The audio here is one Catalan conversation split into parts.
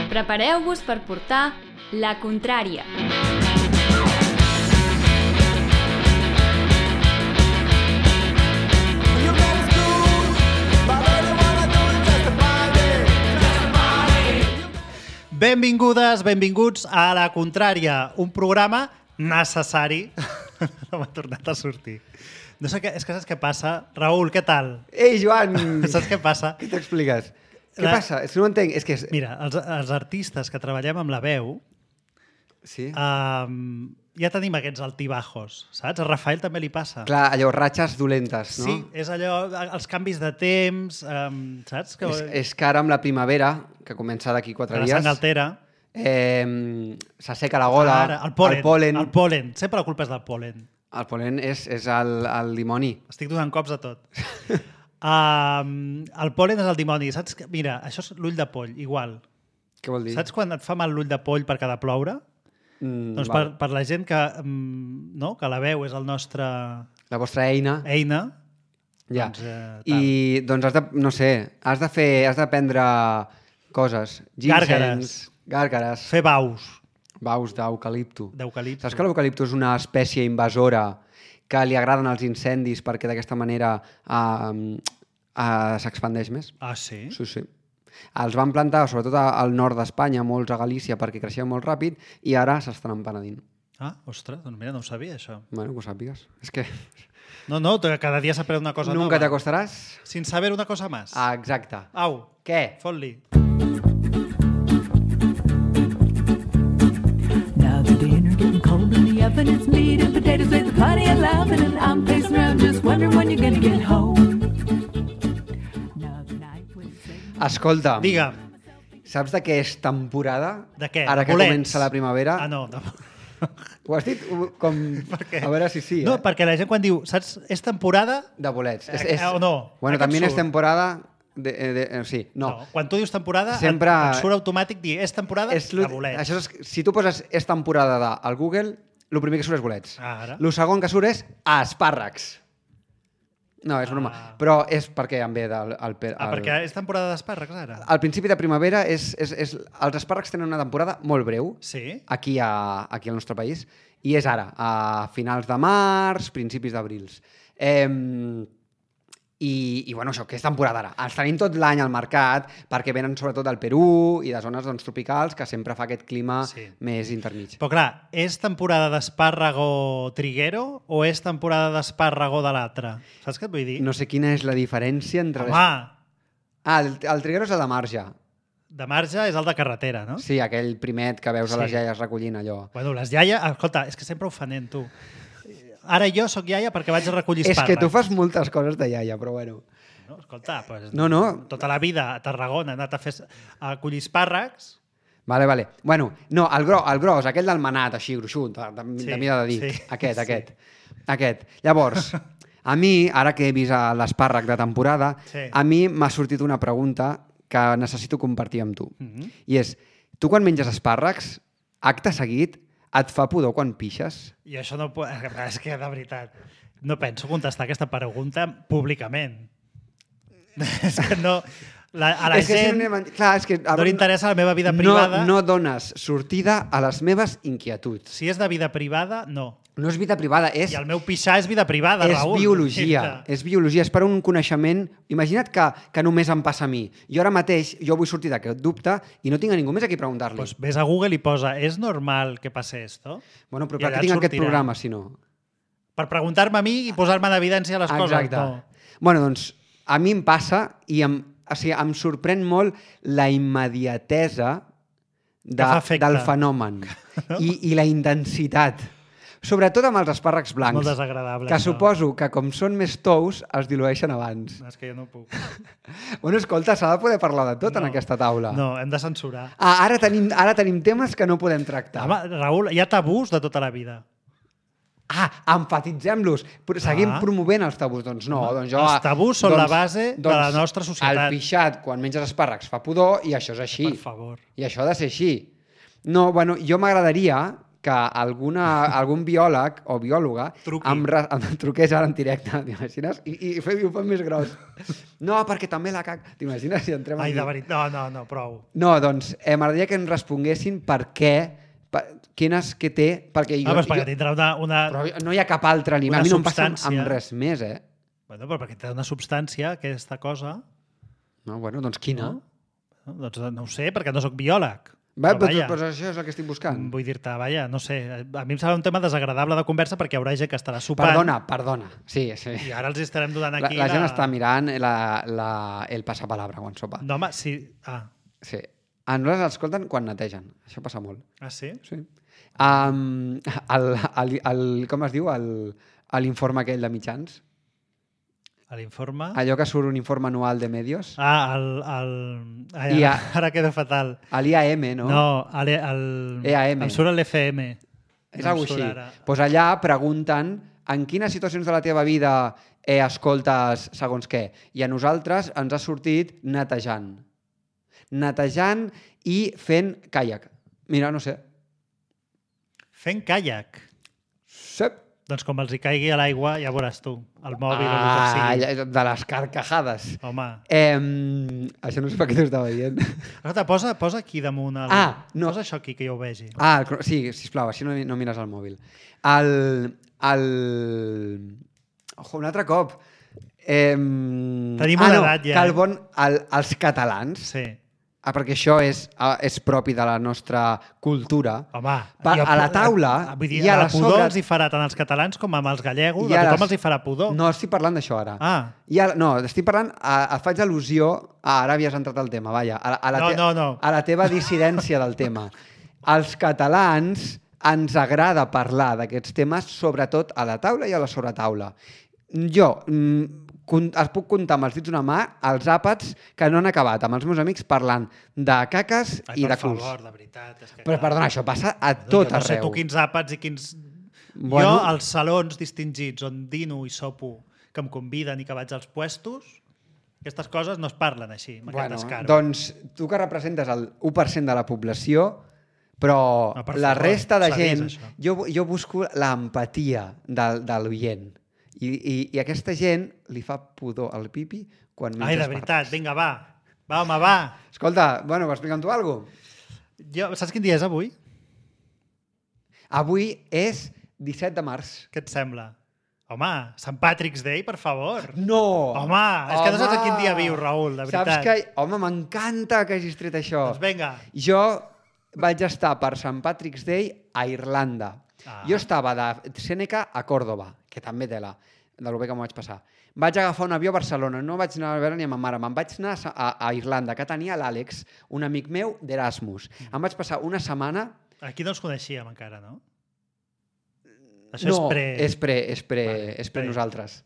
Prepareu-vos per portar La Contrària. Benvingudes, benvinguts a La Contrària, un programa necessari. No m'ha tornat a sortir. No sé què, és que saps què passa? Raül, què tal? Ei, Joan! Saps què passa? Què t'expliques? Què passa? És que no ho entenc. És que... Mira, els artistes que treballem amb la veu, Sí? ja tenim aquests altibajos, saps? A Rafael també li passa. Clar, allò, ratxes dolentes, no? Sí, és allò, els canvis de temps, saps? Que... És que ara amb la primavera, que comença d'aquí 4 dies... La sang altera. S'asseca la gola, Ara, el pol·len. el El pol·len. Sempre la culpa és del pol·len. El pol·len és el dimoni. Estic donant cops a tot. El pol·len és el dimoni. Saps? Mira, això és l'ull de poll, igual. Què vol dir? Saps quan et fa mal l'ull de poll perquè ha de ploure? Doncs per la gent que, no? Que la veu és el nostre... La vostra eina. Ja. Doncs, I doncs has de, no sé, has de prendre coses. Gàrgares. Fer baus Baus d'eucalipto. d'eucalipto. Saps que l'eucalipto és una espècie invasora que li agraden els incendis perquè d'aquesta manera s'expandeix més? Ah, sí? Sí. Els van plantar sobretot al nord d'Espanya, molts a Galícia, perquè creixien molt ràpid i ara s'estan empenedint. Ah, ostres, doncs mira, no ho sabia, això. Bueno, que ho sàpigues. És que... No, cada dia s'aprèn una cosa Nunca nova. te acostaràs? Sin saber una cosa más. Ah, exacte. Au, Què? fot-li. Now the dinner getting cold in the oven. It's meat and potatoes with plenty of laughing, and I'm pacing around just wondering when you're gonna get home. Now the night was Escolta, Digue'm. saps de què és temporada? De què? Ara De que bolets? comença la primavera. Ah, no. Ho has dit com... què? A veure si sí, No, perquè la gent quan diu, saps, és temporada... De bolets. O no? Bueno, Aquest també és surt. temporada... Sí, no. Quan tu dius temporada, Sempre- et surt automàtic dir, és temporada de bolets. Això és, si tu poses és temporada al Google, el primer que surt és bolets. Ara. El segon que surt és espàrrecs. No, és broma. Però és perquè em ve Perquè és temporada d'espàrrecs, ara. al principi de primavera els espàrrecs tenen una temporada molt breu Sí? aquí al nostre país i és ara, a finals de març, principis d'abril. I bueno, això, que és temporada ara. Els tenim tot l'any al mercat perquè venen sobretot del Perú i de zones tropicals que sempre fa aquest clima més intermig. Però clar, és temporada d'espàrrago triguero o és temporada d'espàrrago de l'altre? Saps què et vull dir? No sé quina és la diferència entre... Home, el triguero és el de marge. de marge és el de carretera, no? Sí, aquell primet que veus a les Sí. iaies recollint allò. Bueno, les iaies... Escolta, és que sempre ho fan, tu. Ara jo sóc iaia perquè vaig a recollir És espàrrecs. que tu fas moltes coses de iaia, però bueno. No, escolta, pues, No. tota la vida a Tarragona he anat a collir espàrrecs. Vale. Bueno, no, el gros, aquell del manat, així, gruixut, de mida de dit. sí. Aquest. Llavors, a mi, ara que he vist l'espàrrec de temporada, a mi m'ha sortit una pregunta que necessito compartir amb tu. I és, tu quan menges espàrrecs, acte seguit, et fa pudor quan pixes? I això no... És que, de veritat, no penso contestar aquesta pregunta públicament. És que no... A la gent no li interessa la meva vida privada. No dones sortida a les meves inquietuds. Si és de vida privada, no. No és vida privada, és... I el meu pixar és vida privada, és Raül. biologia, és per un coneixement. Imagina't que només em passa a mi. Jo ara mateix, jo vull sortir d'aquest dubte i no tinc a ningú més a qui preguntar-li. Pues ves a Google i posa, ¿es normal que pase esto? Bueno, però I per allà què tinc et aquest sortirà. programa, si no? Per preguntar-me a mi i posar-me en evidència les coses. Exacte. No. Bueno, doncs, a mi em passa i em sorprèn molt la immediatesa del fenomen i la intensitat. Sobretot amb els espàrrecs blancs. Molt desagradable. Que suposo que com són més tous, es dilueixen abans. No, és que jo no puc. Bueno, escolta, s'ha de poder parlar de tot en aquesta taula. No, hem de censurar. Ara tenim temes que no podem tractar. Home, Raül, hi ha tabús de tota la vida. Enfatitzem-los. Seguim promovent els tabús. Doncs no. Doncs jo, els tabús són la base de la nostra societat. El pixat, quan menges espàrrecs, fa pudor i això és així. Per favor. I això ha de ser així. No, bueno, jo m'agradaria que algun biòleg o biòloga em truqués ara en directe, t'imagines? I ho fan més gros. No, perquè també la caca. T'imagines si entrem aquí? Ai, de veritat. No, prou. No, doncs m'agradaria que ens responguessin per què, quines que té... Perquè perquè tindrà una... Però no hi ha cap altre aliment. A mi no em passa amb res més, Bueno, però perquè té una substància, aquesta cosa... No, bueno, doncs quina? Doncs no ho sé, perquè no sóc biòleg. Però això és el que estic buscant. Vull dir-te, no sé, a mi em sembla un tema desagradable de conversa perquè hi haurà gent que estarà sopant. Perdona. Sí. I ara els estarem donant aquí... La gent està mirant el passapalabra quan sopa. No, home, sí. Sí. A nosaltres escolten quan netegen. Això passa molt. Ah, sí? Sí. Com es diu? L'informe aquell de mitjans? L'informe? Allò que surt un informe anual de medios. Ara queda fatal. L'IAM, no? No, EAM. em surt l'FM. És alguna cosa així. Doncs allà pregunten en quines situacions de la teva vida escoltes segons què. I a nosaltres ens ha sortit netejant. Netejant i fent caiac. Mira, no sé. Fent caiac? Sí. Doncs com els hi caigui a l'aigua, ja veuràs tu, el mòbil o el que sigui. De les carcajades. Home. Això no sé per què t'ho estava dient. Escolta, posa aquí damunt el... no. Posa això aquí, que jo ho vegi. Sí, sisplau, així no mires el mòbil. Un altre cop. Tenim una edat ja. Els catalans... Sí. Perquè això és propi de la nostra cultura. Home, a la taula... Vull dir, a la pudor els hi farà tant als catalans com amb els gallegos, a tothom els hi farà pudor. No, estic parlant d'això ara. No, estic parlant... Faig al·lusió... Ara havies entrat al tema, vaja. No. A la teva dissidència del tema. Als catalans ens agrada parlar d'aquests temes, sobretot a la taula i a la sobretaula. Jo... es puc comptar amb els dits d'una mà els àpats que no han acabat amb els meus amics parlant de caques i de culs. Per favor, de veritat. Però perdona, això passa a tot arreu. No sé tu quins àpats i quins... Jo, als salons distingits on dino i sopo, que em conviden i que vaig als puestos, aquestes coses no es parlen així, amb aquest descaro. Doncs tu que representes el 1% de la població, però la resta de gent... Jo busco l'empatia de l'oient. I aquesta gent li fa pudor al pipi quan menja espàrrecs. Ai, de veritat, vinga, va. Va, home, va. Escolta, explica'm tu alguna cosa. Saps quin dia és avui? Avui és 17 de març. Què et sembla? Home, Sant Patrick's Day, per favor. No! Home, és que no saps a quin dia viu, Raül, de veritat. Saps que... Home, m'encanta que hagis tret això. Doncs vinga. Jo vaig estar per Sant Patrick's Day a Irlanda. Jo estava de Sèneca a Còrdoba, que també tela, de lo bé que m'ho vaig passar. Vaig agafar un avió a Barcelona, no vaig anar a veure ni a ma mare, me'n vaig anar a Irlanda, que tenia l'Àlex, un amic meu d'Erasmus. Em vaig passar una setmana... Aquí no ens coneixíem encara, no? Això és pre nosaltres.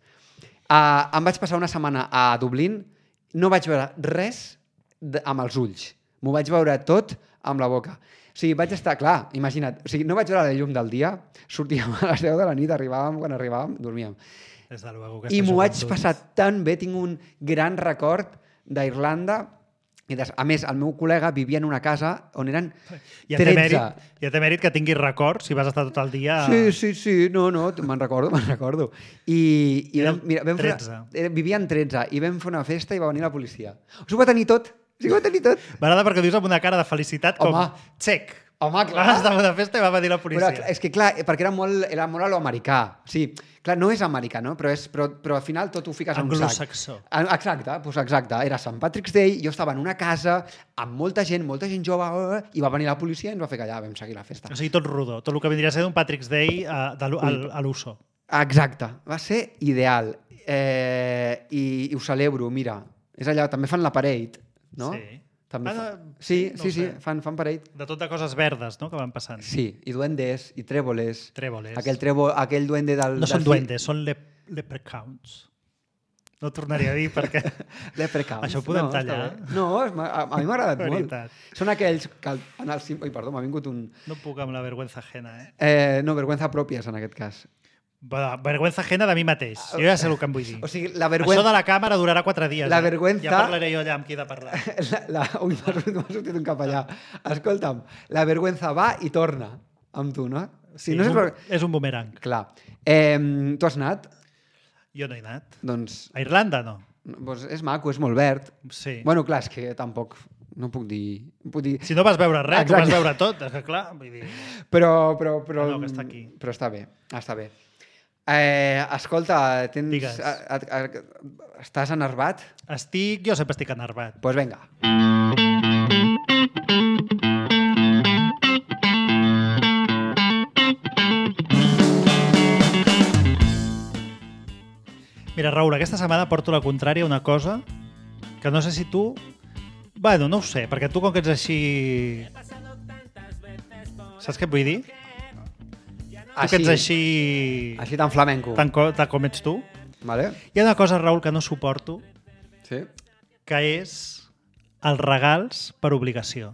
Em vaig passar una setmana a Dublín, no vaig veure res amb els ulls. M'ho vaig veure tot amb la boca. O sigui, vaig estar, clar, imagina't, no vaig veure la llum del dia, sortíem a les 10 de la nit, quan arribàvem, dormíem. I m'ho vaig passar tan bé, tinc un gran record d'Irlanda, i a més, el meu col·lega vivia en una casa on eren 13. Ja té mèrit que tinguis record, si vas estar tot el dia... Sí, no, me'n recordo. I mira, 13. Vivien 13, i vam fer una festa i va venir la policia. Us ho va tenir tot. M'agrada perquè ho dius amb una cara de felicitat com xec. Home, clar. Vas estar a una festa i va venir la policia. Però és que, clar, perquè era molt a lo americà. Sí, clar, no és americà, no? Però al final tot ho fiques en un sac. Anglosaxó. Exacte. Era Sant Patrick's Day, jo estava en una casa amb molta gent jove, i va venir la policia i ens va fer callar, vam seguir la festa. O sigui, tot rodó, tot el que vindria a ser d'un Patrick's Day a l'uso. Exacte, va ser ideal. I ho celebro, mira. És allà, també fan la parade, no? Sí. Sí, fan parade. De tot de coses verdes, no?, que van passant. Sí, i duendes, i trèboles. Aquell duende del... No són duendes, són leprechauns. No ho tornaria a dir perquè... Leprechauns. Això ho podem tallar. No, a mi m'ha agradat molt. Són aquells que... Ui, perdó, m'ha vingut un... No puc amb la vergüenza ajena, No, vergüenza pròpies, en aquest cas. Vergüenza ajena de mi mateix. Jo ja sé el que em vull dir. O sigui, la vergüenza... Això de la càmera durarà 4 dies. La vergüenza... Ja parlaré jo allà amb qui he de parlar. Ui, m'ha sortit un capellà. Escolta'm, la vergüenza va i torna. amb tu, no? Sí, no és un bumerang. Clar. Tu has anat? Jo no he anat. Doncs... A Irlanda, no. Doncs és maco, és molt verd. Sí. Bueno, clar, és que tampoc... No puc dir... Si no vas veure res, tu vas veure tot. És que clar, vull dir... Però no, que està aquí. Però està bé, està bé. Escolta, Digues. Estàs enervat? Jo sempre estic enervat. Doncs vinga. Mira, Raül, aquesta setmana porto la contrària a una cosa que no sé si tu... Bueno, no ho sé, perquè tu com que ets així... Saps què et vull dir? Tu que ets així... Així tan flamenco. Tant com ets tu. Vale. Hi ha una cosa, Raül, que no suporto, Sí. que és els regals per obligació.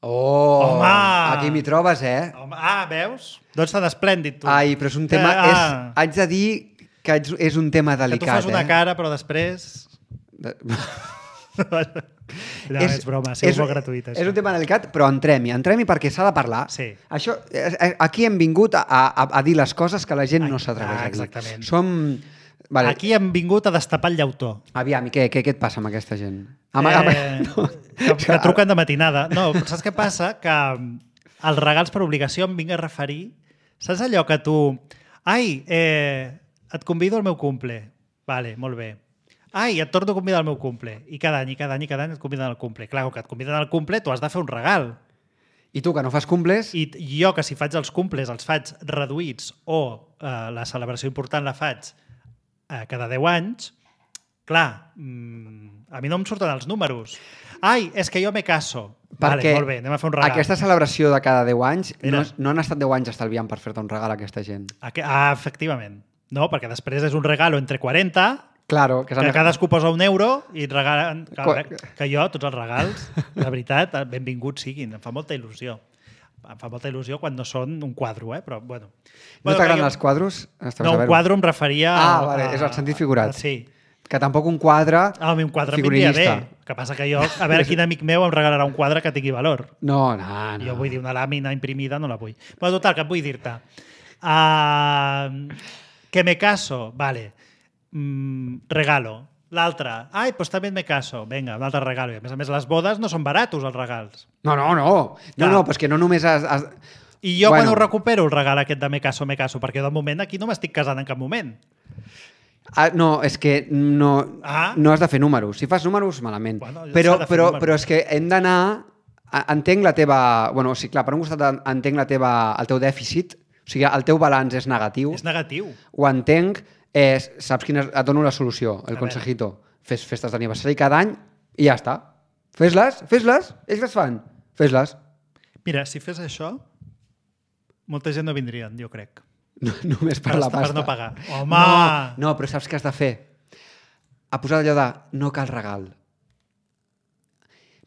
Oh! Home! Aquí m'hi trobes, Home, veus? Doncs tan esplèndid, tu. Ai, però és un tema... Haig de dir que és un tema delicat, que tu fas una cara, però després... No, és broma, ha sigut molt gratuït. És un tema delicat, però entrem-hi perquè s'ha de parlar. Sí. Això, aquí hem vingut a dir les coses que la gent no s'atreveix a dir. Exactament. Vale. Aquí hem vingut a destapar el llautó. Aviam, i què et passa amb aquesta gent? Que truquen de matinada. No, saps què passa? Que els regals per obligació em vinc a referir... Saps allò que tu... Ai, et convido al meu cumple. Vale, molt bé. Ai, et torno a convidar al meu cumple. I cada any et conviden al cumple. Clar, que et conviden al cumple, tu has de fer un regal. I tu, que no fas cumples... I jo, que si faig els cumples, els faig reduïts o la celebració important la faig cada 10 anys, clar, a mi no em surten els números. Ai, és que jo me caso. Vale, molt bé, anem a fer un regal. Aquesta celebració de cada 10 anys no han estat 10 anys estalviant per fer-te un regal a aquesta gent. Efectivament. No, perquè després és un regalo entre 40... Claro, que cadascú posa €1 i et regalen... Que jo, tots els regals, de veritat, benvinguts siguin. Em fa molta il·lusió. Em fa molta il·lusió quan no són un quadro, però bueno. No t'agraden els quadros? No, un quadro em referia... Vale, és el sentit figurat. Sí. Que tampoc un quadre un quadre em vindria bé. El que passa que jo, a veure quin amic meu em regalarà un quadre que tingui valor. No. Jo vull dir, una làmina imprimida no la vull. Bueno, total, que et vull dir-te. Que me caso, vale. Regalo. L'altre, ai, doncs també me caso. Vinga, un altre regalo. I a més, les bodes no són baratos, els regals. No, però és que no només has... I jo quan ho recupero, el regal aquest de me caso, perquè de moment aquí no m'estic casant en cap moment. No, és que no has de fer números. Si fas números, malament. Bueno, però és que hem d'anar... Entenc la teva... Bueno, sí, clar, per un costat entenc el teu dèficit, o sigui, el teu balanç és negatiu. És negatiu. Ho entenc. Saps quina... Et dono la solució, el consejito. Fes festes d'aniversari cada any i ja està. Fes-les. Ells les fan. Fes-les. Mira, si fes això, molta gent no vindrien, jo crec. Només per la pasta. Per no pagar. Home! No, però saps què has de fer? A posar allò de no cal regal.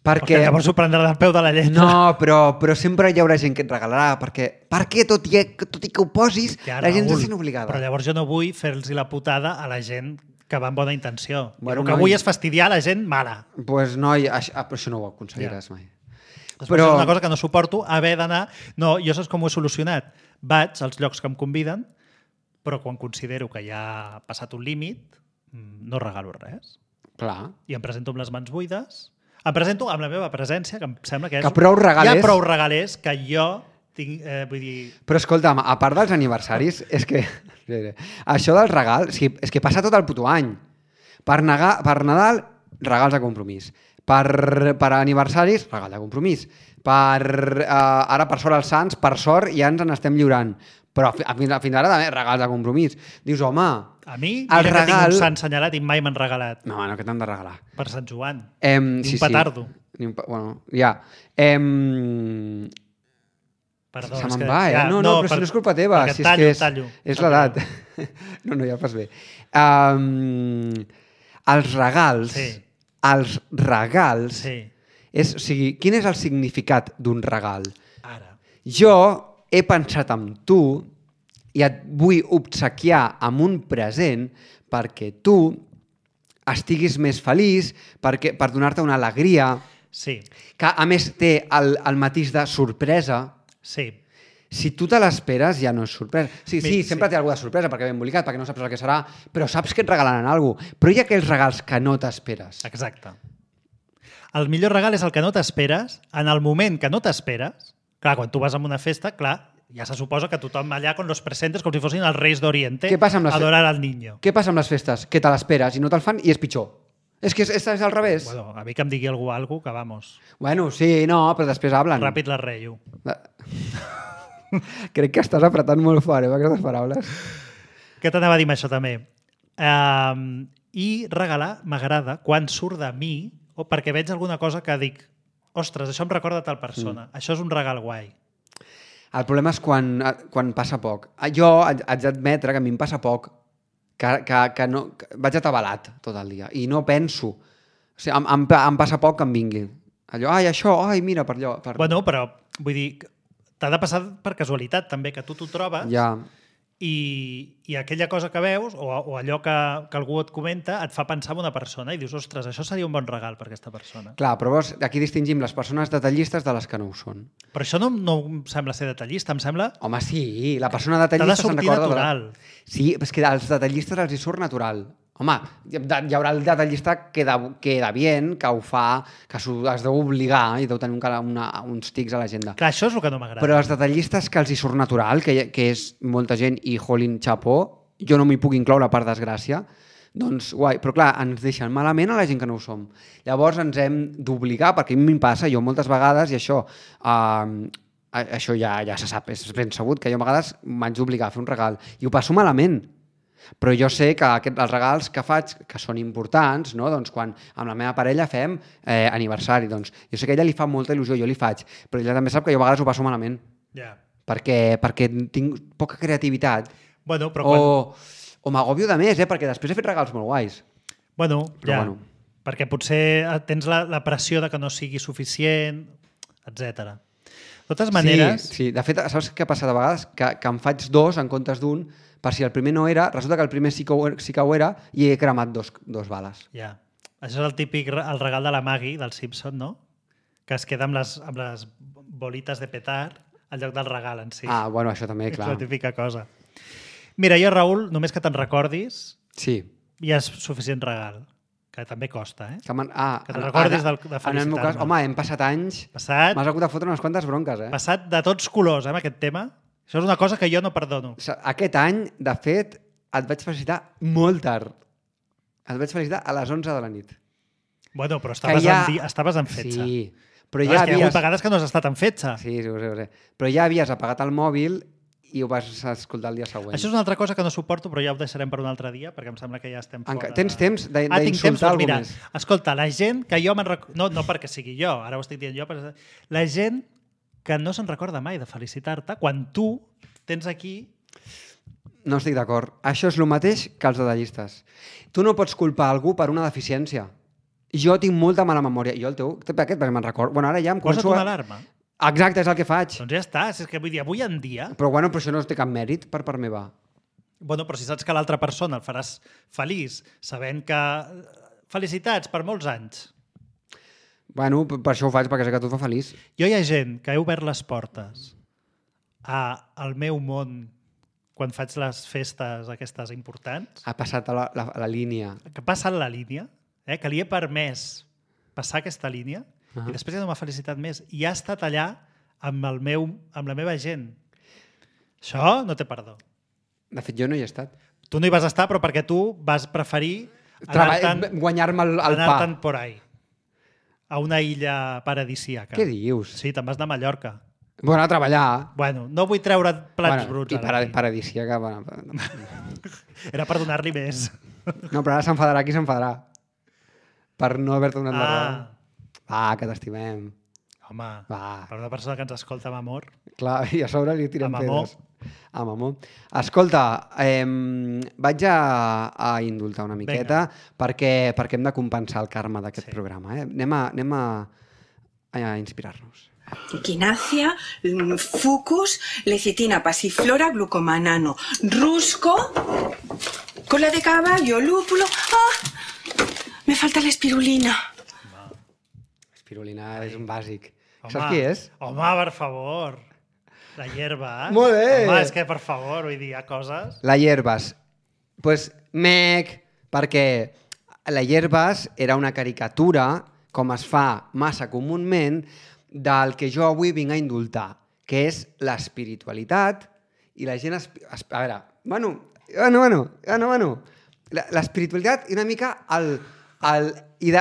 Perquè llavors ho prendrà del peu de la lletra. No, però sempre hi haurà gent que et regalarà, perquè tot i que ho posis, la gent se sent obligada. Però llavors jo no vull fer-los la putada a la gent que va amb bona intenció. Bueno, el que vull és fastidiar la gent mala. Doncs noi, això no ho aconseguiràs mai. Però és una cosa que no suporto, haver d'anar... No, jo saps com ho he solucionat? Vaig als llocs que em conviden, però quan considero que ja ha passat un límit, no regalo res. Clar. I em presento amb les mans buides. Em presento amb la meva presència, que em sembla que hi ha prou regalers que jo tinc, vull dir... Però escolta'm, a part dels aniversaris, és que això del regal, és que passa tot el puto any. Per Nadal, regals de compromís. Per aniversaris, regal de compromís. Ara, per sort els Sants, per sort ja ens n'estem lliurant. Però fins ara també regals de compromís. Dius, home... A mi, mira que tinc un sant senyalat i mai m'han regalat. No, que t'han de regalar. Per Sant Joan. Un petardo. Bueno, ja. Perdó, se me'n va, No, però si no és culpa teva. Si tallo. És l'edat. No, ja fas bé. Els regals... Sí. Els regals... Sí. O sigui, quin és el significat d'un regal? Ara. Jo he pensat en tu i et vull obsequiar amb un present perquè tu estiguis més feliç, per donar-te una alegria, sí. que a més té el matís de sorpresa. Sí. Si tu te l'esperes, ja no és sorpresa. Sí, Sí. sempre té alguna sorpresa, perquè ve embolicat, perquè no saps el que serà, però saps que et regalaran alguna cosa. Però hi ha aquells regals que no t'esperes. Exacte. El millor regal és el que no t'esperes, en el moment que no t'esperes. Clar, quan tu vas a una festa, clar, ja se suposa que tothom allà con los presentes com si fossin els reis d'Oriente Què passa amb les adorar al niño. Què passa amb les festes? Que te l'esperes i no te'l fan i és pitjor. És que és al revés. Bueno, a mi que em digui algú que vamos, Bueno, sí, no, però després hablen. ràpid la reio. Crec que estàs apretant molt fort, amb aquestes paraules. Què t'anava a dir amb això també? I regalar m'agrada quan surt de mi o perquè veig alguna cosa que dic ostres, això em recorda tal persona. Això és un regal guai. El problema és quan passa poc. Jo haig d'admetre que a mi em passa poc, que no, que vaig atabalat tot el dia i no penso. O sigui, em passa poc que em vingui. Allò, això, mira, per allò. Bueno, però vull dir, t'ha de passar per casualitat també, que tu t'ho trobes Ja. i aquella cosa que veus o allò que algú et comenta et fa pensar en una persona i dius, ostres, això seria un bon regal per aquesta persona. Clar, però veus, aquí distingim les persones detallistes de les que no ho són. Però això no em sembla ser detallista, em sembla... Home, sí, la persona T'ha de detallista se'n sortir recorda... natural. Sí, és que als detallistes els hi surt natural. Home, hi haurà el detallista que queda bien, que ho fa, que es deu obligar i deu tenir uns tics a l'agenda. Clar, això és el que no m'agrada. Però els detallistes que els hi surt natural, que és molta gent i jolín xapó, jo no m'hi puc incloure per desgràcia, doncs guai. Però clar, ens deixen malament a la gent que no ho som. Llavors ens hem d'obligar, perquè a mi em passa, jo moltes vegades, i això ja se sap, és ben sabut, que jo a vegades m'haig d'obligar a fer un regal i ho passo malament. Però jo sé que els regals que faig, que són importants, no? Doncs quan amb la meva parella fem aniversari, doncs jo sé que a ella li fa molta il·lusió, jo li faig, però ella també sap que jo a vegades ho passo malament, Ja. perquè tinc poca creativitat. Bueno, però quan... O m'agòbio de més, perquè després he fet regals molt guais. Bueno, Però ja. bueno. Perquè potser tens la pressió de que no sigui suficient, etc. De totes maneres... Sí. De fet, saps què ha passat a vegades? Que em faig dos en comptes d'un, per si el primer no era, resulta que el primer sí que ho era i he cremat dos bales. Ja. Això és el típic el regal de la Maggie, del Simpson, no? Que es queda amb les bolites de petar en lloc del regal en si. Bueno, això també, clar. És la típica cosa. Mira, jo, Raül, només que te'n recordis, Sí. ja és suficient regal. Que també costa, eh? Que te'n recordis de en el meu cas, felicitar-me. home, hem passat anys, m'has hagut de fotre unes quantes bronques, Passat de tots colors, amb aquest tema. Això és una cosa que jo no perdono. Aquest any, de fet, et vaig felicitar molt tard. Et vaig felicitar a les 11 de la nit. Bueno, però estaves en fetge. Sí, però ja ja hi ha hagut vegades que no has estat en fetge. Sí, ho sé. Però ja havies apagat el mòbil i ho vas escoltar el dia següent. Això és una altra cosa que no suporto, però ja ho deixarem per un altre dia, perquè em sembla que ja estem fora... Tens temps tinc temps, d'insultar algú mira, més? escolta, la gent que jo no perquè sigui jo, ara ho estic dient jo, però la gent que no se'n recorda mai de felicitar-te, quan tu tens aquí... No estic d'acord. Això és el mateix que els detallistes. Tu no pots culpar algú per una deficiència. Jo tinc molta mala memòria. Jo el teu... Aquest perquè me'n recordo. Bueno, ara ja em Posa't començo una alarma. Exacte, és el que faig. Doncs ja està. És que vull dir, avui en dia... Però això no té cap mèrit per part meva. Bueno, però si saps que l'altra persona el faràs feliç, sabent que... Felicitats per molts anys. Bueno, per això ho faig, perquè sé que tu et fa feliç. Jo hi ha gent que he obert les portes al meu món quan faig les festes aquestes importants, Ha passat a la línia. que passa la línia, que li he permès passar aquesta línia, i després ja no m'ha felicitat més. I ha estat allà amb la meva gent. Això no té perdó. De fet, jo no hi he estat. Tu no hi vas estar, però perquè tu vas preferir Guanyar-me el pa. anar-te'n por ahí, a una illa paradisíaca. Què dius? Sí, te'n vas anar a Mallorca. Bueno, a treballar. Bueno, no vull treure plats bruts. I ara aquí. paradisíaca. Bueno. Era per donar-li més. No, però ara s'enfadarà qui s'enfadarà. Per no haver-te donat la raó. Ah, Que t'estimem. home, Va. per una persona que ens escolta amb amor. Clar, i a sobre li tirem Amb amor. pedres. Amb amor. Escolta, vaig a indultar una miqueta perquè hem de compensar el karma d'aquest programa. Anem a inspirar-nos. Equinacia, fucus, lecitina, pasiflora, glucomanano, rusco, cola de caballo, lúpulo... ¡Ah! Me falta la espirulina. Espirulina és un bàsic. Home, Saps qui és? Home, per favor. La hierba. Molt bé. Home, és que, per favor, vull dir, hi ha coses... La hierbas. Pues, perquè la hierbas era una caricatura, com es fa massa comúment, del que jo avui vinc a indultar, que és l'espiritualitat i la gent... A veure, l'espiritualitat i una mica i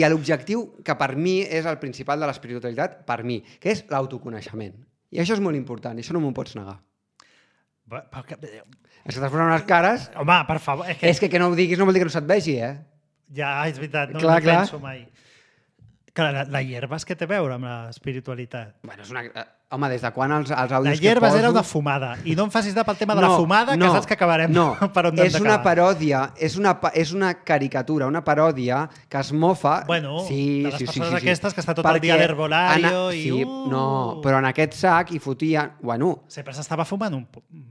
l'objectiu que per mi és el principal de l'espiritualitat, per mi, que és l'autoconeixement. I això és molt important, i això no m'ho pots negar. És que t'has posat unes cares... Home, per favor... És que no ho diguis no vol dir que no se't vegi, eh? Ja, és veritat, no penso mai. Clar, la hierbas què té a veure amb l'espiritualitat? Bueno, és una... Home, des de quan els àudios la hierbas era una fumada. I no em facis de pel tema de la fumada, que saps que acabarem per on hem és una paròdia, és una caricatura, una paròdia que es mofa... Bueno, de les persones aquestes que està tot el dia a l'herbolario i... Sí, no, però en aquest sac hi fotien... Bueno... Sempre s'estava fumant un...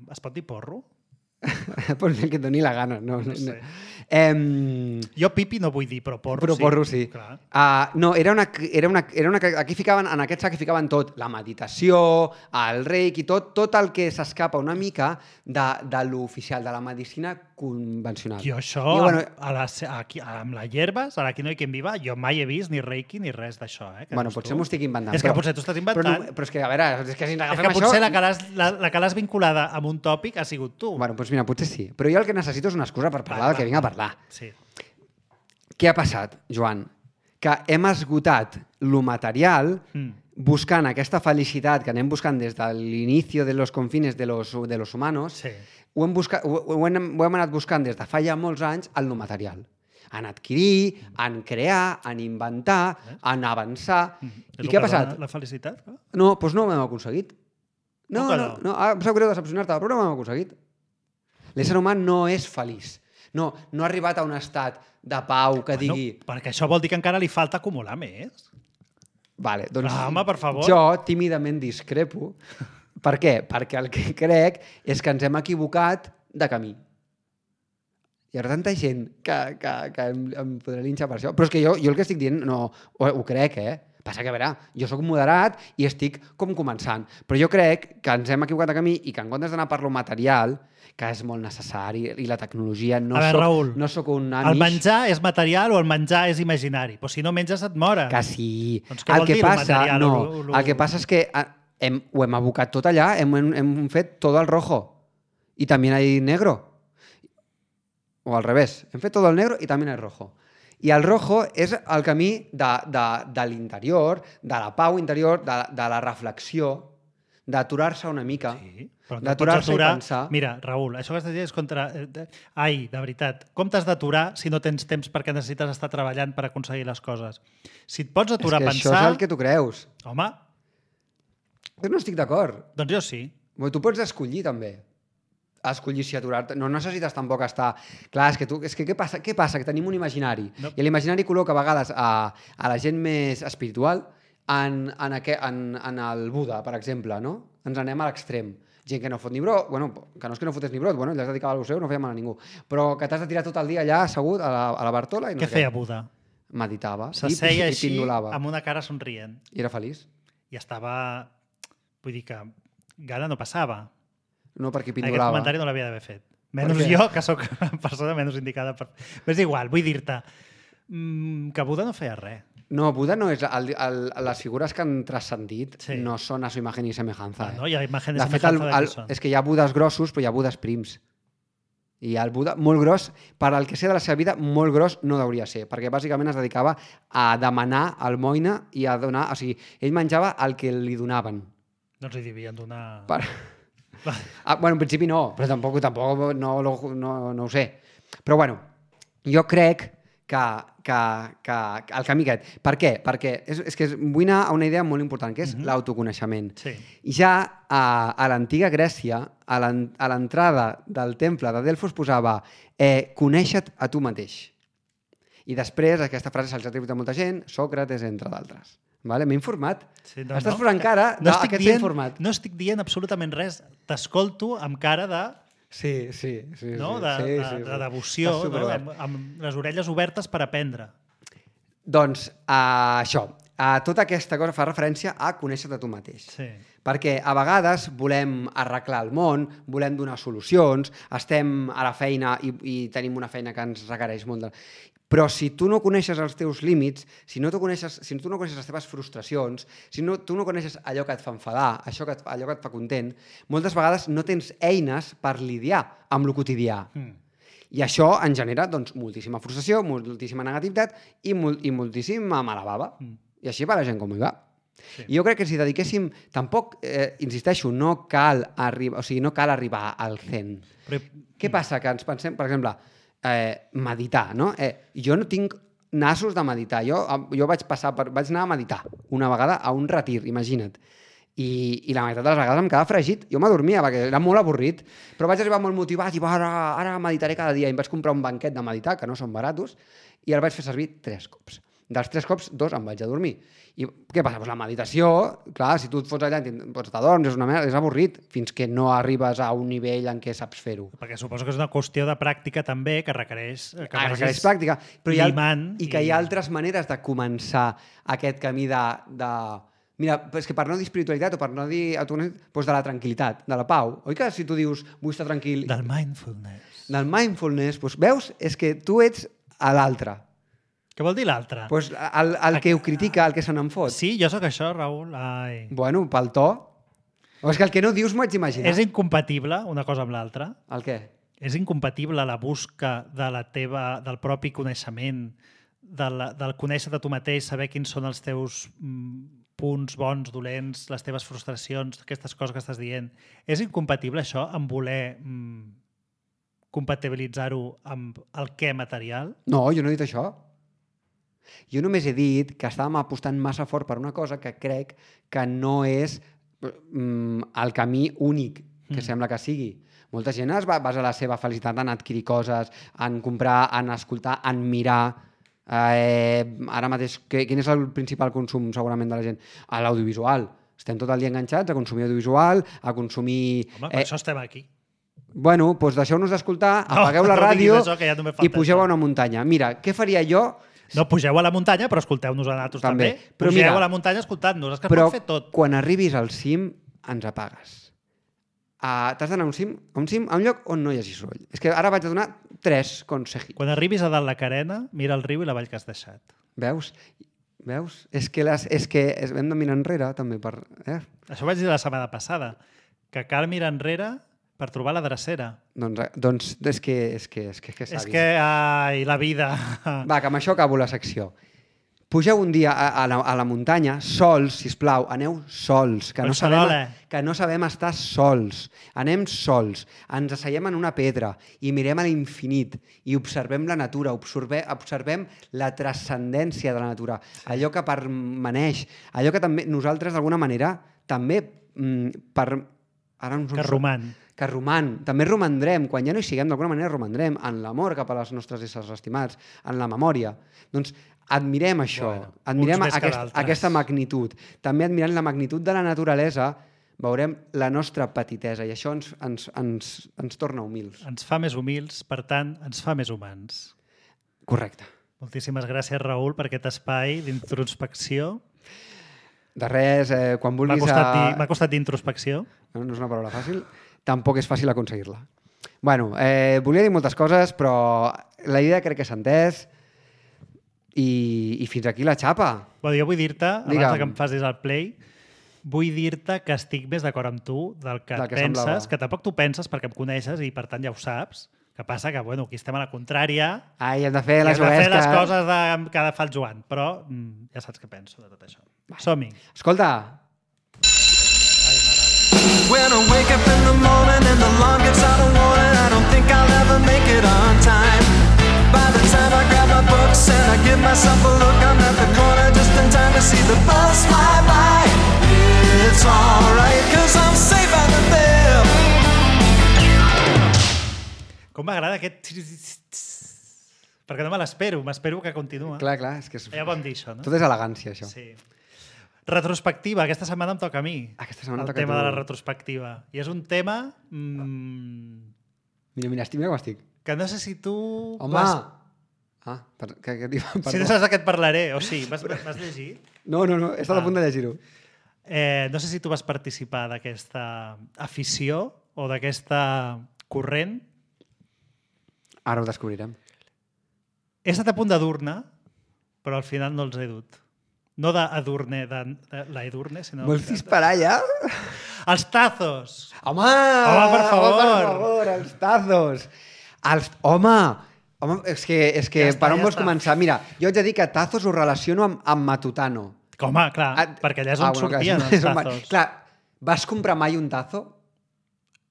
Es pot dir porro? Pues bien que et doni la gana. No sé. Jo pipi no vull dir, però porro però sí. Porro sí. No, aquí ficaven, en aquest sac ficaven tot, la meditació, el reiki, tot el que s'escapa una mica de l'oficial, de la medicina convencional. Jo això, amb la hierbas, aquí no hi quien viva, jo mai he vist ni reiki ni res d'això. Bueno, potser m'ho estic inventant. És que potser tu estàs inventant. Però és que, a veure, és que si ens agafem això... potser la que l'has vinculada amb un tòpic ha sigut tu. Bueno, doncs mira, potser sí. Però jo el que necessito és una excusa per parlar del que vinc a parlar. Sí. Què ha passat, Joan? Que hem esgotat lo material buscant aquesta felicitat que anem buscant des de l'inici de los confines de los humanos. Sí. Ho hem anat buscant des de fa ja molts anys en lo material. En adquirir, en crear, en inventar, en avançar. I què ha passat? La felicitat? No, doncs no ho hem aconseguit. No. Em sap greu decepcionar-te, però no ho hem aconseguit. L'ésser humà no és feliç. No ha arribat a un estat de pau que digui... Perquè això vol dir que encara li falta acumular més. Vale, doncs home, per favor. Jo tímidament discrepo. Per què? Perquè el que crec és que ens hem equivocat de camí. Hi ha tanta gent que em podrà linxar per això. Però és que jo el que estic dient no ho crec, Passa que, a veure, jo sóc moderat i estic com començant. Però jo crec que ens hem equivocat de camí i que en comptes d'anar per lo material, que és molt necessari, i la tecnologia, no soc un nanish. El menjar és material o el menjar és imaginari? Però si no menges et mores. Que sí. Doncs què vol dir el material? El que passa és que ho hem abocat tot allà, hem fet tot el rojo. I també hay negro. O al revés. Hem fet tot el negro i també hay rojo. I el rojo és el camí de l'interior, de la pau interior, de la reflexió, d'aturar-se una mica, d'aturar-se i pensar... Mira, Raül, això que estàs dient és contra... Ai, de veritat, com t'has d'aturar si no tens temps perquè necessites estar treballant per aconseguir les coses? Si et pots aturar a pensar... És que això és el que tu creus. Home... Jo no estic d'acord. Doncs jo sí. Tu pots escollir, també. Escollir si aturar-te. No necessites tampoc estar... Clar, és que què passa? Que tenim un imaginari. No. I l'imaginari col·loca a vegades a la gent més espiritual en el Buda, per exemple, no? Ens anem a l'extrem. Gent que no fot ni brot, bueno, que no és que no fotés ni brot, bueno, ella es dedicava al museu, no feia mal a ningú. Però que t'has de tirar tot el dia allà assegut a la Bartola i no sé què. Què feia Buda? Meditava. S'asseia així amb una cara somrient. I era feliç. I estava... Vull dir que gana no passava. No, perquè pindolava. Aquest comentari no l'havia d'haver fet. Menys jo, que sóc la persona menys indicada per... Però és igual, vull dir-te que Buda no feia res. No, Buda no és... Les figures que han transcendit no són a su imagen i semejanza. No, hi ha imagen i semejanza de què són. És que hi ha Budes grossos, però hi ha Budes prims. I el Buda, molt gros, per al que sé de la seva vida, molt gros no hauria ser, perquè bàsicament es dedicava a demanar almoina i a donar... O sigui, ell menjava el que li donaven. Doncs li devien donar... Bueno, en principi no, però tampoc no ho sé. Però bueno, jo crec que el camí aquest... Per què? Perquè és que vull anar a una idea molt important, que és l'autoconeixement. Sí. Ja a l'antiga Grècia, a l'entrada del temple de Delfos posava conèixer-te a tu mateix. I després aquesta frase se'ls ha atribuït a molta gent, Sòcrates, entre d'altres. Vale? M'he informat. Sí, Estàs posant cara d'aquest s'ha informat. No estic dient absolutament res. T'escolto amb cara de... Sí. No? De devoció, no? Amb les orelles obertes per aprendre. Doncs això. tota aquesta cosa fa referència a conèixer-te tu mateix. Sí. Perquè a vegades volem arreglar el món, volem donar solucions, estem a la feina i tenim una feina que ens requereix molt de... Però si tu no coneixes els teus límits, si tu no coneixes les teves frustracions, tu no coneixes allò que et fa enfadar, allò que et fa content, moltes vegades no tens eines per lidiar amb el quotidià. I això ens genera doncs, moltíssima frustració, moltíssima negativitat i moltíssima mala bava. I així va la gent com hi va. Sí. I jo crec que si dediquéssim... Tampoc, insisteixo, no cal arribar al zen. Però... Què passa? Que ens pensem, per exemple, meditar, no? Jo no tinc nassos de meditar. Jo vaig anar a meditar una vegada a un retir, imagina't. I la meitat de les vegades em quedava fregit. Jo m'adormia perquè era molt avorrit, però vaig arribar molt motivat i ara meditaré cada dia. I em vaig comprar un banquet de meditar, que no són baratos, i el vaig fer servir 3 cops. Dels 3 cops, 2 em vaig a dormir. I què passa? Pues la meditació, clar, si tu et fots allà, t'adorms, és avorrit, fins que no arribes a un nivell en què saps fer-ho. Perquè suposo que és una qüestió de pràctica també, que requereix pràctica, però i que hi ha altres maneres de començar aquest camí de... Mira, és que per no dir espiritualitat o per no dir autoconeixement, doncs de la tranquil·litat, de la pau. Oi que si tu dius vull estar tranquil... Del mindfulness. Del mindfulness, doncs veus? És que tu ets a l'altre. Què vol dir l'altre? Pues el que ho critica, el que se n'en fot. Sí, jo sóc això, Raül. Ai. Bueno, pel to. O és que el que no dius m'ho haig d'imaginar. És incompatible una cosa amb l'altra? El què? És incompatible la busca del propi coneixement, del conèixer-te tu mateix, saber quins són els teus punts bons, dolents, les teves frustracions, aquestes coses que estàs dient. És incompatible això amb voler compatibilitzar-ho amb el què material? No, jo no he dit això. Jo només he dit que estàvem apostant massa fort per una cosa que crec que no és el camí únic que sembla que sigui. Molta gent es basa la seva felicitat en adquirir coses, en comprar, en escoltar, en mirar. Ara mateix, quin és el principal consum segurament de la gent? L'audiovisual. Estem tot el dia enganxats a consumir audiovisual, a consumir... Home, per això estem aquí. Bueno, doncs deixeu-nos d'escoltar, apagueu la ràdio i pugeu a una muntanya. Mira, què faria jo... No, pugeu a la muntanya, però escolteu-nos a nosaltres també. Pugeu a la muntanya escoltant-nos. És que però pot fer tot. Quan arribis al cim, ens apagues. T'has d'anar a un cim, a un lloc on no hi hagi soroll. És que ara vaig a donar 3 consejos. Quan arribis a dalt la carena, mira el riu i la vall que has deixat. Veus? És que hem de mirar enrere, també. Això ho vaig dir la setmana passada, que cal mirar enrere per trobar la drecera. Doncs és que savis. És que, ai, la vida. Va, que amb això acabo la secció. Pugeu un dia a la muntanya, sols, sisplau, aneu sols, que no sabem estar sols. Anem sols, ens asseiem en una pedra i mirem a l'infinit i observem la natura, observem la transcendència de la natura, allò que permaneix, allò que també nosaltres d'alguna manera també que roman. També romandrem, quan ja no hi siguem, d'alguna manera romandrem en l'amor cap a les nostres éssers estimats, en la memòria. Doncs admirem això, admirem aquesta magnitud. També admirant la magnitud de la naturalesa, veurem la nostra petitesa i això ens torna humils. Ens fa més humils, per tant, ens fa més humans. Correcte. Moltíssimes gràcies, Raül, per aquest espai d'introspecció. De res, quan vulguis... M'ha costat d'introspecció. No és una paraula fàcil. Tampoc és fàcil aconseguir-la. Bueno, volia dir moltes coses, però la idea crec que s'ha entès i fins aquí la xapa. Bueno, jo vull dir-te, abans que em facis el play, vull dir-te que estic més d'acord amb tu del que penses, semblava. Que tampoc tu penses perquè em coneixes i per tant ja ho saps. Que passa que, bueno, aquí estem a la contrària. Ai, hem de fer les coses que fa el Joan, però ja saps què penso de tot això. Som-hi. Escolta. When I wake up in the morning and the alarm gets out of warning, I don't think I'll ever make it on time. By the time I grab my books and I give myself a look, I'm at the corner just in time to see the bus fly by. It's alright, 'cause I'm safe out of there. Com m'agrada aquest... Perquè no me l'espero, m'espero que continua. Clar, és que... Ja vam dir això, no? Tot és elegància, això. Sí. Retrospectiva, aquesta setmana em toca a mi. Aquesta setmana el tema de la retrospectiva. I és un tema... Mira com estic. Que no sé si tu... Home! Ah, què diu? Si no saps de què et parlaré, o sí, vas llegir? No, he estat a punt de llegir-ho. No sé si tu vas participar d'aquesta afició o d'aquesta corrent. Ara ho descobrirem. He estat a punt d'Edurne, però al final no els he dut. No d'Edurne, de la Edurne, sinó... Vols disparar ja? Els tazos! Home, per favor! Per favor, els tazos! Home, és que Ja està, per on ja vols està. començar? Mira, jo haig de dir que tazos ho relaciono amb Matutano. Home, clar, perquè allà és on sortien els tazos. Clar, vas comprar mai un tazo?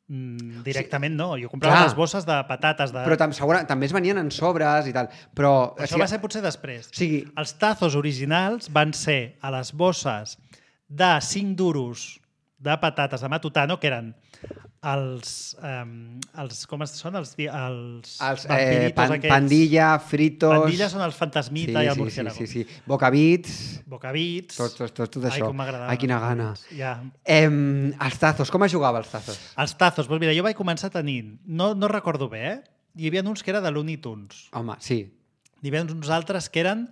Directament no, jo comprava les bosses de patates. Però també es venien en sobres i tal. Però això va ser potser després. O sigui, els tazos originals van ser a les bosses de 5 duros de patates de Matutano, que eren els com són? Els vampiritos aquests. Pandilla, fritos... Pandilla són els fantasmita i el murciélago. Sí. Bocabits... Tot això. Ai, com m'agradava. Ai, quina gana. Ja. Els tazos, com es jugava els tazos? Els tazos, doncs mira, jo vaig començar tenint, no recordo bé, hi havia uns que eren de Looney Tunes. Home, sí. Hi havia uns altres que eren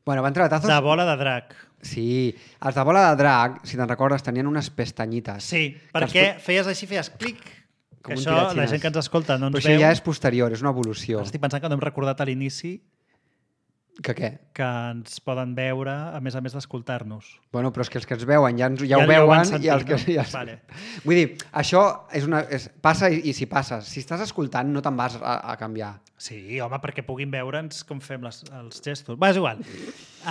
Bueno, van treure tazos... de bola de drac. Sí, els de bola de drac, si te'n recordes, tenien unes pestanyites. Sí, perquè feies així, feies clic, que això la gent que ens escolta no ens veu. Però això ja és posterior, és una evolució. Estic pensant que no hem recordat a l'inici que què? Que ens poden veure, a més d'escoltar-nos. Bueno, però és que els que ens veuen ja ho veuen sentit, i els que... no? Vale. Vull dir, això passa i si passa. Si estàs escoltant no te'n vas a canviar. Sí, home, perquè puguin veure'ns com fem els gestos. Va, és igual.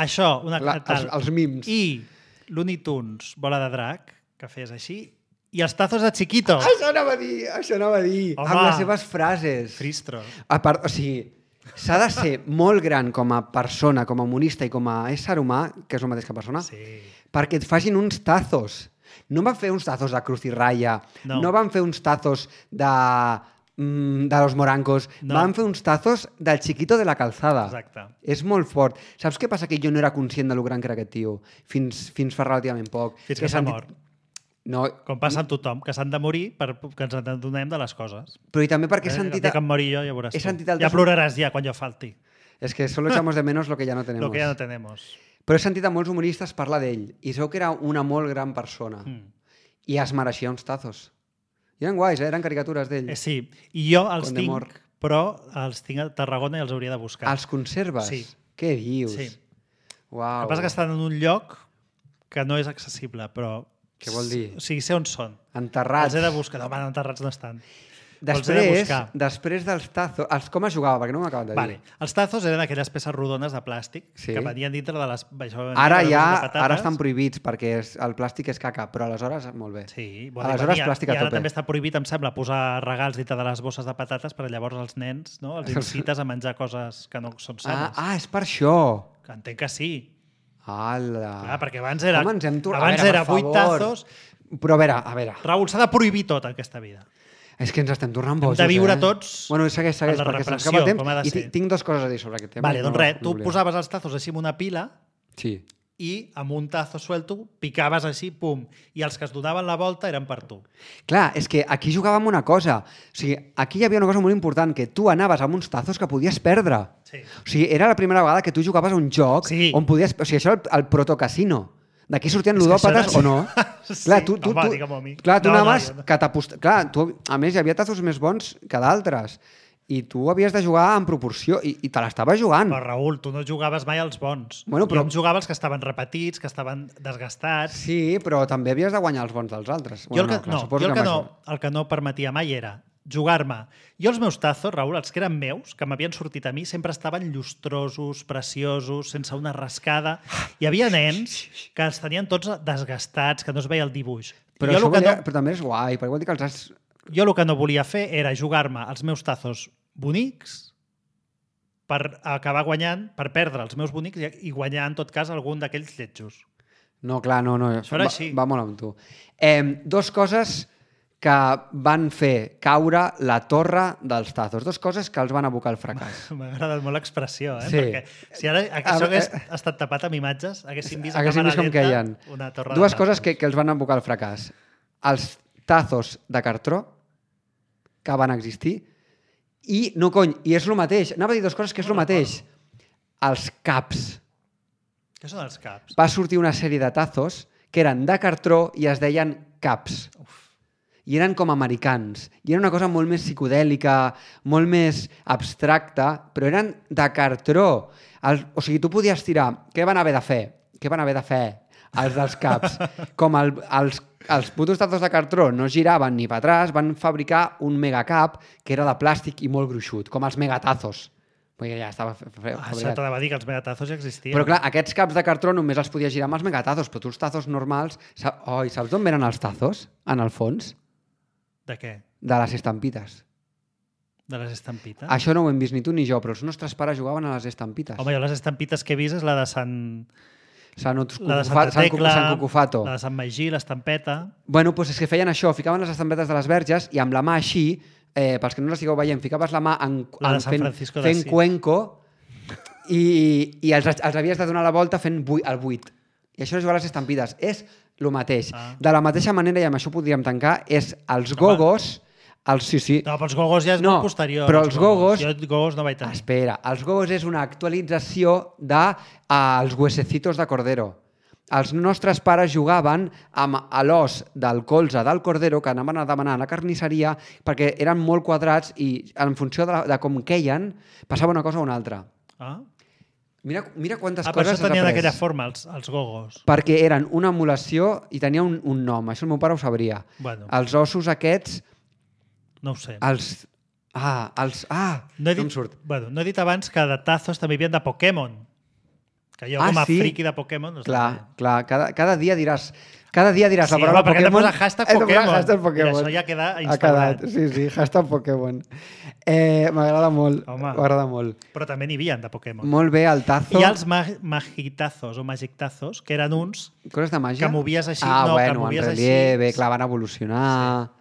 Això, els mims. I Looney Tunes, bola de drac, que feies així, i els tazos de Chiquito. Això anava a dir. Home, amb les seves frases. Fristro. O sigui, s'ha de ser molt gran com a persona, com a humorista i com a ésser humà, que és el mateix que persona, perquè et facin uns tazos. No van fer uns tazos de Cruz i Raya, no van fer uns tazos de los morancos, van fer uns tazos del Chiquito de la Calzada. Exacte. És molt fort. Saps què passa? Que jo no era conscient de lo gran que era aquest tio, fins fa relativament poc. Fins que s'ha mort. No. Com passa amb tothom, que s'han de morir perquè ens adonem de les coses. Però i també perquè he sentit... El dia que em mori jo, ja veuràs tu. Ja ploraràs ja quan jo falti. És que solo echamos de menos lo que ya no tenemos. Lo que ya no tenemos. Però he sentit a molts humoristes parlar d'ell i sabeu que era una molt gran persona i es mereixia uns tazos. I eren guais, eren caricatures d'ell. Sí, i jo els tinc, però els tinc a Tarragona i els hauria de buscar. Els conserves? Sí. Què dius? Sí. Uau. El que passa que estan en un lloc que no és accessible, però... Què vol dir? O sigui, sé on són. Enterrats. Els he de buscar. No, enterrats no estan. Després dels tazos... Com es jugava? Perquè no m'ho acabat de dir. Vale. Els tazos eren aquelles peces rodones de plàstic que venien dintre de les... Ara estan prohibits perquè el plàstic és caca, però aleshores molt bé. Sí, aleshores plàstic a tope. I ara també està prohibit, em sembla, posar regals dintre de les bosses de patates perquè llavors els nens els incites a menjar coses que no són sanes. És per això. Entenc que sí. Ala. Clar, perquè abans era 8 tazos. Però a veure. Raül, s'ha de prohibir tot en aquesta vida. És que ens estem tornant bojos, Hem de viure tots Bueno, segueix, perquè se'ns acaba el temps i tinc 2 coses a dir sobre aquest tema. Vale, doncs res, tu posaves els tazos així en una pila i amb un tazo suelto picaves així, pum, i els que es donaven la volta eren per tu. Clar, és que aquí jugàvem una cosa. O sigui, aquí hi havia una cosa molt important, que tu anaves amb uns tazos que podies perdre. Sí. O sigui, era la primera vegada que tu jugaves a un joc on podies... O sigui, això era el protocasino. D'aquí sortien ludòpates o no? Sí, home, digue-m'ho a mi. Clar, tu anaves... Clar, a més, hi havia tazos més bons que d'altres. I tu havies de jugar en proporció i te l'estaves jugant. Però, Raül, tu no jugaves mai als bons. Bueno, jo em jugava els que estaven repetits, que estaven desgastats. Sí, però també havies de guanyar els bons dels altres. Jo el que no permetia mai era jugar-me. Jo els meus tazos, Raül, els que eren meus, que m'havien sortit a mi, sempre estaven llustrosos, preciosos, sense una rascada. Hi havia nens que els tenien tots desgastats, que no es veia el dibuix. Però també és guai, perquè vol dir que els has... Jo el que no volia fer era jugar-me els meus tazos bonics per acabar guanyant, per perdre els meus bonics i guanyar, en tot cas, algun d'aquells lletjos. No, clar, no. Això era així. Va molt amb tu. 2 coses que van fer caure la torre dels tazos. 2 coses que els van abocar al fracàs. M'ha agradat molt l'expressió, Sí. Perquè si ara això hagués estat tapat amb imatges, haguéssim vist a càmera lenta una torre de tazos. 2 coses que els van abocar al fracàs. Els tazos de cartró que van existir I, no cony, i és el mateix. Anava a dir dues coses que és el mateix. Els caps. Què són els caps? Va sortir una sèrie de tazos que eren de cartró i es deien caps. I eren com americans. I era una cosa molt més psicodèlica, molt més abstracta, però eren de cartró. O sigui, tu podies tirar... Què van haver de fer? Què van haver de fer els dels caps? Com els putos tazos de cartró no giraven ni per atràs, van fabricar un megacap que era de plàstic i molt gruixut, com els megatazos. Perquè ja estava fabricat. Això t'anava a dir que els megatazos ja existien. Però clar, aquests caps de cartró només els podies girar amb els megatazos, però tu els tazos normals... I saps d'on venen els tazos, en el fons? De què? De les estampites. De les estampites? Això no ho hem vist ni tu ni jo, però els nostres pares jugaven a les estampites. Home, jo les estampites que he vist és la de Sant Cucufato. Sant Cucufato. La de Sant Magí, l'estampeta... Bueno, doncs és que feien això, ficaven les estampetes de les verges i amb la mà així, pels que no les estigueu veient, ficaves la mà fent cuenco i els havies de donar la volta fent el buit. I això és jugar a les estampides. És el mateix. De la mateixa manera, i amb això podríem tancar, és els gogos... Sí. No, però els gogos ja és molt posterior. Però els gogos... Jo gogos no vaig tenir. Espera, els gogos és una actualització dels huesecitos de cordero. Els nostres pares jugaven amb l'os del colze del cordero que anaven a demanar a la carnisseria perquè eren molt quadrats i en funció de com queien passava una cosa o una altra. Mira quantes coses has après. Per això tenien aquella forma, els gogos. Perquè eren una emulació i tenia un nom. Això el meu pare ho sabria. Bueno. Els ossos aquests... No ho sé. No em surt. Bueno, no he dit abans que de tazos també hi havia de Pokémon. Que jo com a friqui de Pokémon... Clar. Cada dia diràs... Cada dia diràs la paraula Pokémon. Pokémon. Hashtag Pokémon. Hashtag Pokémon. I això ja queda instaurat. Sí, hashtag Pokémon. M'agrada molt. M'agrada molt. Però també n'hi havia de Pokémon. Molt bé, el tazo... Hi ha els magitazos o magictazos, que eren uns... Coses de màgia? Que movies així. En relieve, clar, van evolucionar...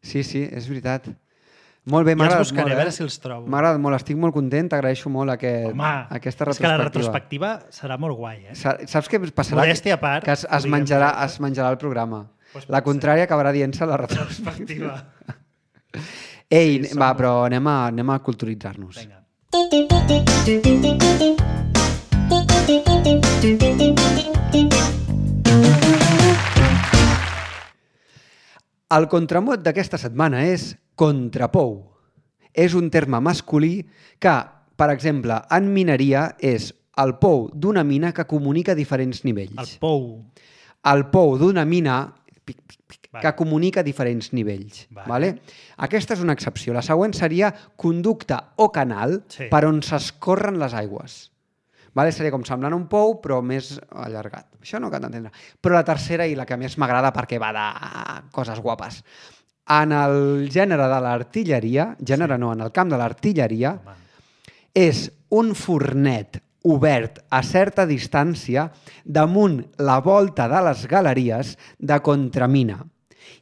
Sí, és veritat. Molt bé, m'ha agradat molt. A veure si els trobo. M'ha agradat molt, estic molt content, t'agraeixo molt aquesta retrospectiva. És que la retrospectiva serà molt guai, eh? Saps què passarà? Modèstia a part. Que es menjarà el programa. La contrària acabarà dient-se la retrospectiva. Ei, va, però anem a culturitzar-nos. Vinga. El contramot d'aquesta setmana és contrapou. És un terme masculí que, per exemple, en mineria és el pou d'una mina que comunica diferents nivells. El pou. El pou d'una mina que comunica diferents nivells. Vale? Aquesta és una excepció. La següent seria conducte o canal per on s'escorren les aigües. Vale? Seria com semblant un pou, però més allargat. Això no cal entendre. Però la tercera, i la que més m'agrada perquè va de coses guapes, en el gènere de l'artilleria, en el camp de l'artilleria, és un fornet obert a certa distància damunt la volta de les galeries de contramina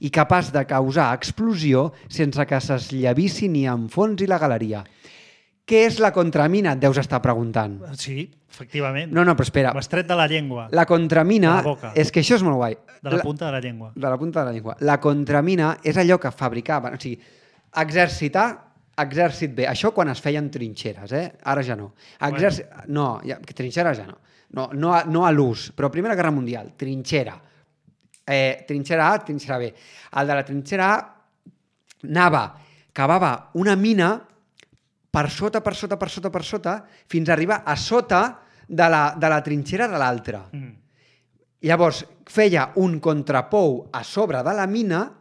i capaç de causar explosió sense que s'esllavissi ni enfonsi la galeria. Què és la contramina? Et deus estar preguntant. Sí, efectivament. No, però espera. M'has tret de la llengua. La contramina... És que això és molt guai. De la punta de la llengua. De la punta de la llengua. La contramina és allò que fabricaven... O sigui, exèrcit bé. Això quan es feien trinxeres, Ara ja no. No, trinxeres ja no. No a l'ús, però Primera Guerra Mundial, trinxera. Trinxera A, trinxera B. El de la trinxera A cavava una mina per sota, fins a arribar a sota de la trinxera de l'altra. Llavors, feia un contrapou a sobre de la mina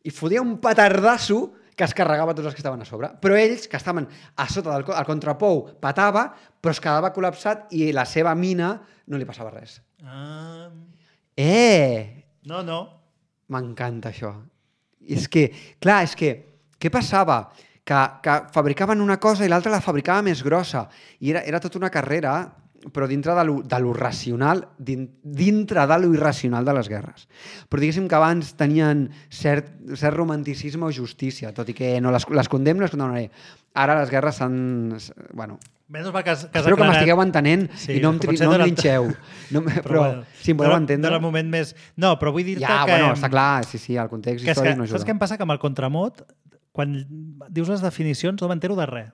i fotia un petardasso que es carregava tots els que estaven a sobre. Però ells, que estaven a sota del contrapou, patava, però es quedava col·lapsat i la seva mina no li passava res. No. M'encanta això. És que, què passava? Que fabricaven una cosa i l'altra la fabricava més grossa. I era tota una carrera, però dintre de lo racional, dintre de lo irracional de les guerres. Però diguéssim que abans tenien cert romanticisme o justícia, tot i que no les condemnaré. Ara les guerres s'han... Bueno, espero que m'estigueu entenent i no em trinxeu. Però si em voleu entendre... De moment més... No, però vull dir-te que... Ja, bueno, està clar, sí, el context històric no ajuda. Saps què em passa? Que amb el contramot, quan dius les definicions no m'entero de res.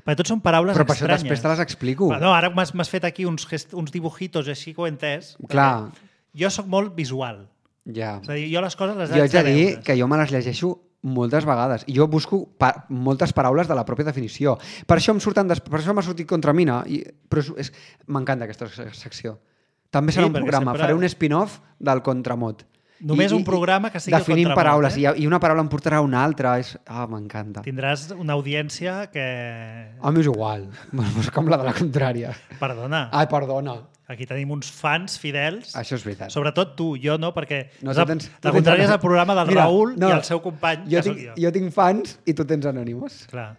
Perquè tot són paraules Però per això estranyes. després te les explico. Però no, ara m'has fet aquí uns dibujitos així que ho he entès. Clar. Jo sóc molt visual. Ja. És a dir, jo les coses les Jo haig de dir veure. que jo me les llegeixo moltes vegades. I jo busco moltes paraules de la pròpia definició. Per això per això m'ha sortit Contramina. Però m'encanta aquesta secció. També serà un perquè programa. sempre- Faré un spin-off del Contramot. Només un programa que sigui definim Contramot, paraules. eh? I una paraula em portarà a una altra. M'encanta. Tindràs una audiència que... A mi és igual. És com la de la contrària. Perdona, Ai, perdona. aquí tenim uns fans fidels. Això és veritat. Sobretot tu, jo no, perquè No, és tu la, tens- tu la tens contrària és anònims. el programa del Mira, Raül no, i el seu company, que sóc jo. Jo tinc fans i tu tens anònimos. Clar.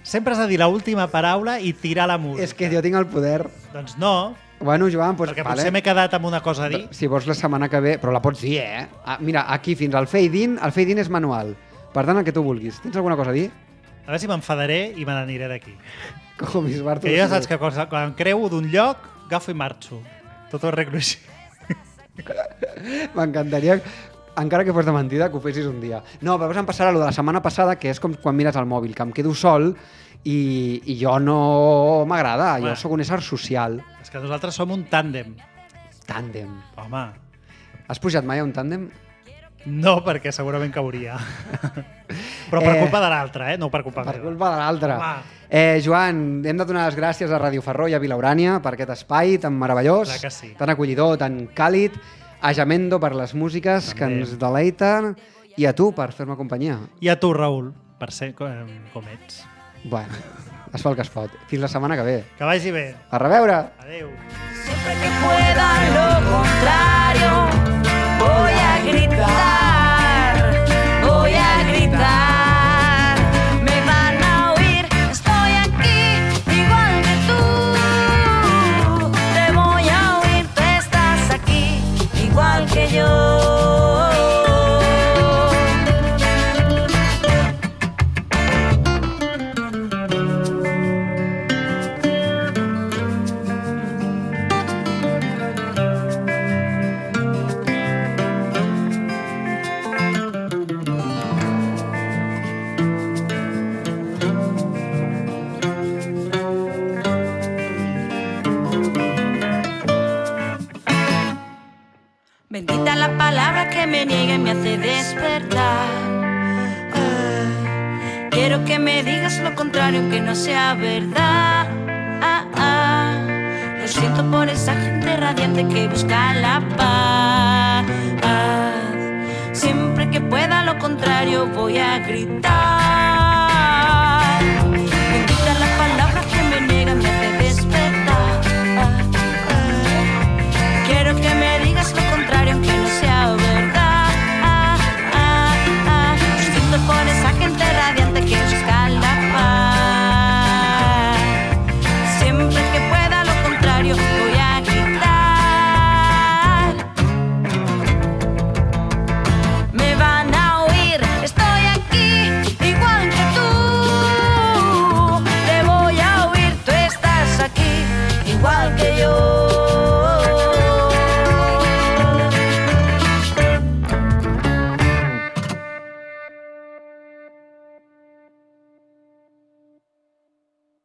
Sempre has de dir l'última paraula i tirar la música. És que jo tinc el poder. Doncs no, Bueno, Joan, doncs, perquè potser m'he quedat amb una cosa a dir. Si vols la setmana que ve, però la pots dir, eh? Mira, aquí fins al fade-in, el fade-in és manual. Per tant, el que tu vulguis. Tens alguna cosa a dir? A veure si m'enfadaré i me n'aniré d'aquí. Com Bisbart. Que ja saps que quan em creu d'un lloc, agafo i marxo. Tot ho arreglo així. M'encantaria, encara que fos de mentida, que ho fessis un dia. No, però em passarà allò de la setmana passada, que és com quan mires el mòbil, que em quedo sol i jo no m'agrada. Jo sóc un ésser social. És que nosaltres som un tàndem. Tàndem. Home, Has pujat mai a un tàndem? no, perquè segurament cauria. Però per culpa de l'altre, no per culpa Per meva. culpa de l'altre. Home. Joan, hem de donar les gràcies a Ràdio Ferró i a Vilaurània per aquest espai tan meravellós, Clar que sí. tan acollidor, tan càlid, a Jamendo per les músiques que També. ens deleiten i a tu per fer-me companyia. I a tu, Raül, per ser com ets. Bueno, es fa el que es pot. Fins la setmana que ve. Que vagi bé. A reveure! Adéu. Siempre que pueda lo contrario, voy a gritar, voy a gritar. Me van a oír, estoy aquí, igual que tú. Te voy a oír, tú estás aquí, igual que yo. Bendita la palabra que me niega y me hace despertar. Quiero que me digas lo contrario, aunque no sea verdad. Lo siento por esa gente radiante que busca la paz. Siempre que pueda lo contrario voy a gritar. Bendita la palabra que me niega y me hace despertar. Quiero que me digas lo contrario, aunque no sea verdad. Lo siento por esa gente radiante que busca la paz. Siempre que pueda lo contrario voy a gritar. Me van a oír, estoy aquí, igual que tú. Te voy a oír, tú estás aquí, igual que